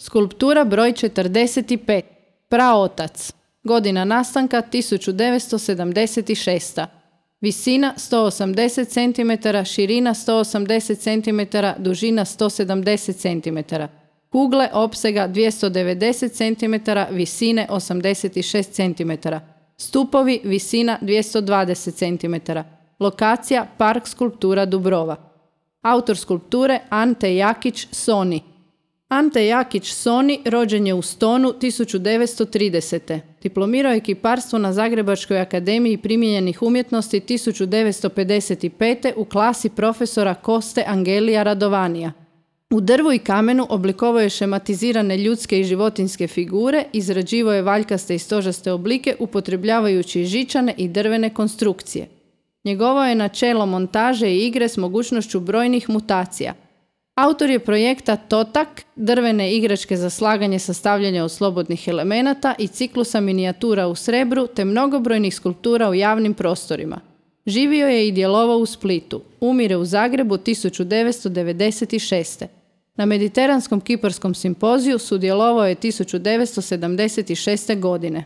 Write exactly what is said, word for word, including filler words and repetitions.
Skulptura broj četrdeset pet. Praotac. Godina nastanka tisuću devetsto sedamdeset šesta. Visina sto osamdeset centimetara, širina sto osamdeset centimetara, dužina sto sedamdeset centimetara. Kugle opsega dvjesto devedeset centimetara, visine osamdeset šest centimetara. Stupovi visina dvjesto dvadeset centimetara. Lokacija Park skulptura Dubrova. Autor skulpture Ante Jakić Soni. Ante Jakić Soni rođen je u Stonu tisuću devetsto tridesete. Diplomirao je kiparstvo na Zagrebačkoj akademiji primijenjenih umjetnosti tisuću devetsto pedeset pete u klasi profesora Koste Angelija Radovanija. U drvu i kamenu oblikovao je šematizirane ljudske i životinjske figure, izrađivao je valjkaste i stožaste oblike upotrebljavajući žičane i drvene konstrukcije. Njegovo je načelo montaže i igre s mogućnošću brojnih mutacija. Autor je projekta Totak, drvene igračke za slaganje sastavljanja od slobodnih elemenata i ciklusa minijatura u srebru te mnogobrojnih skulptura u javnim prostorima. Živio je i djelovao u Splitu. Umire u Zagrebu tisuću devetsto devedeset šeste. Na Mediteranskom kiparskom simpoziju sudjelovao je tisuću devetsto sedamdeset šeste godine.